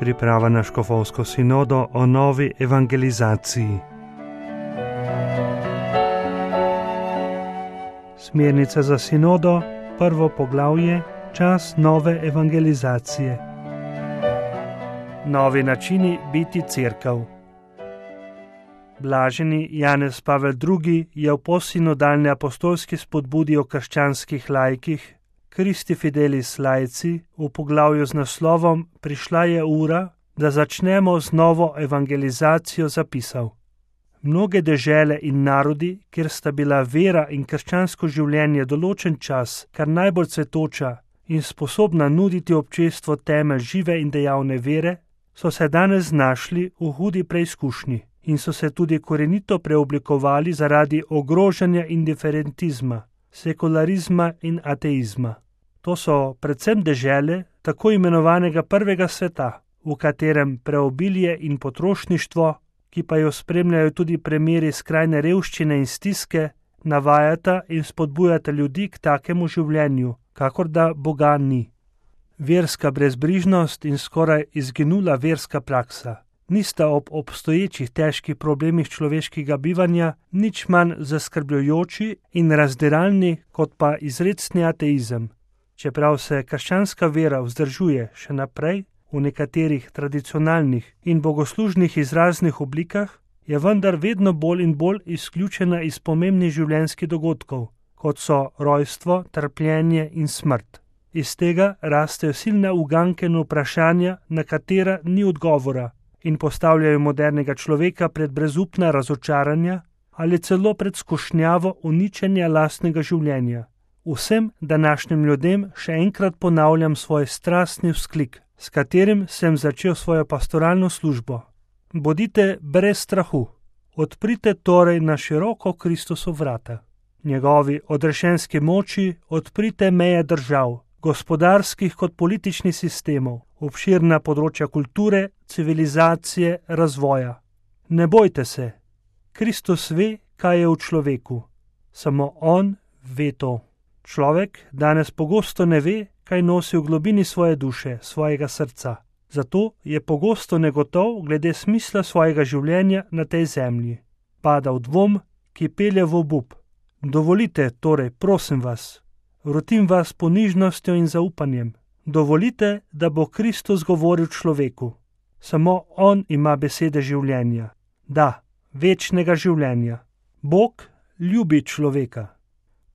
Priprava na škofovsko sinodo o novi evangelizaciji. Smernice za sinodo, prvo poglavje, čas nove evangelizacije. Novi načini biti cerkev. Blaženi Janez Pavel II. Je v postsinodalni apostolski spodbudi o krščanskih laikih Christi Fidelis laici v poglavju z naslovom Prišla je ura, da začnemo z novo evangelizacijo zapisal. Mnoge dežele in narodi, kjer sta bila vera in krščansko življenje določen čas kar najbolj cvetoča in sposobna nuditi občestvu temelj žive in dejavne vere, so se danes znašli v hudi preizkušnji in so se tudi korenito preoblikovali zaradi ogrožanja indiferentizma, sekularizma in ateizma. To so predvsem dežele tako imenovanega prvega sveta, v katerem preobilje in potrošništvo, ki pa jo spremljajo tudi primeri skrajne revščine in stiske, navajata in spodbujata ljudi k takemu življenju, kakor da Boga ni. Verska brezbrižnost in skoraj izginula verska praksa nista ob obstoječih težkih problemih človeškega bivanja nič manj zaskrbljujoči in razdiralni kot pa izrecni ateizem. Čeprav se krščanska vera vzdržuje še naprej v nekaterih tradicionalnih in bogoslužnih izraznih oblikah, je vendar vedno bolj in bolj izključena iz pomembnih življenjskih dogodkov, kot so rojstvo, trpljenje in smrt. Iz tega rastejo silne uganke in vprašanja, na katera ni odgovora, in postavljajo modernega človeka pred brezupna razočaranja ali celo pred skušnjavo uničenja lastnega življenja. Vsem današnjim ljudem še enkrat ponavljam svoj strastni vzklik, s katerim sem začel svojo pastoralno službo. Bodite brez strahu, odprite torej na široko Kristusu vrata. Njegovi odrešenski moči odprite meje držav, gospodarskih kot političnih sistemov, obširna področja kulture, civilizacije, razvoja. Ne bojte se, Kristus ve, kaj je v človeku. Samo on ve to. Človek danes pogosto ne ve, kaj nosi v globini svoje duše, svojega srca. Zato je pogosto negotov glede smisla svojega življenja na tej zemlji. Pada v dvom, ki pelje v obup. Dovolite, torej, prosim vas, vrotim vas ponižnostjo in zaupanjem. Dovolite, da bo Kristus govoril človeku. Samo on ima besede življenja. Da, večnega življenja. Bog ljubi človeka.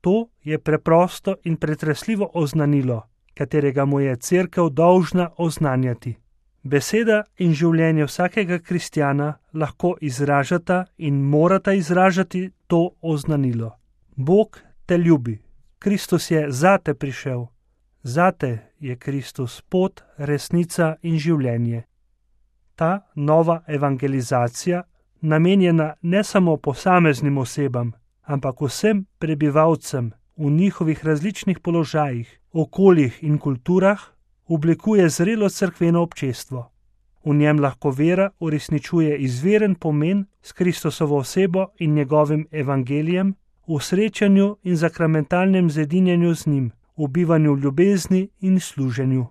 To je preprosto in pretresljivo oznanilo, katerega mu je cerkev dolžna oznanjati. Beseda in življenje vsakega kristjana lahko izražata in morata izražati to oznanilo. Bog te ljubi. Kristus je zate prišel. Zate je Kristus pot, resnica in življenje. Ta nova evangelizacija, namenjena ne samo posameznim osebam, ampak vsem prebivalcem v njihovih različnih položajih, okoljih in kulturah, oblikuje zrelo cerkveno občestvo. V njem lahko vera uresničuje izveren pomen s Kristusovo osebo in njegovim evangelijem, v srečanju in zakramentalnem zedinjenju z njim, v bivanju v ljubezni in služenju.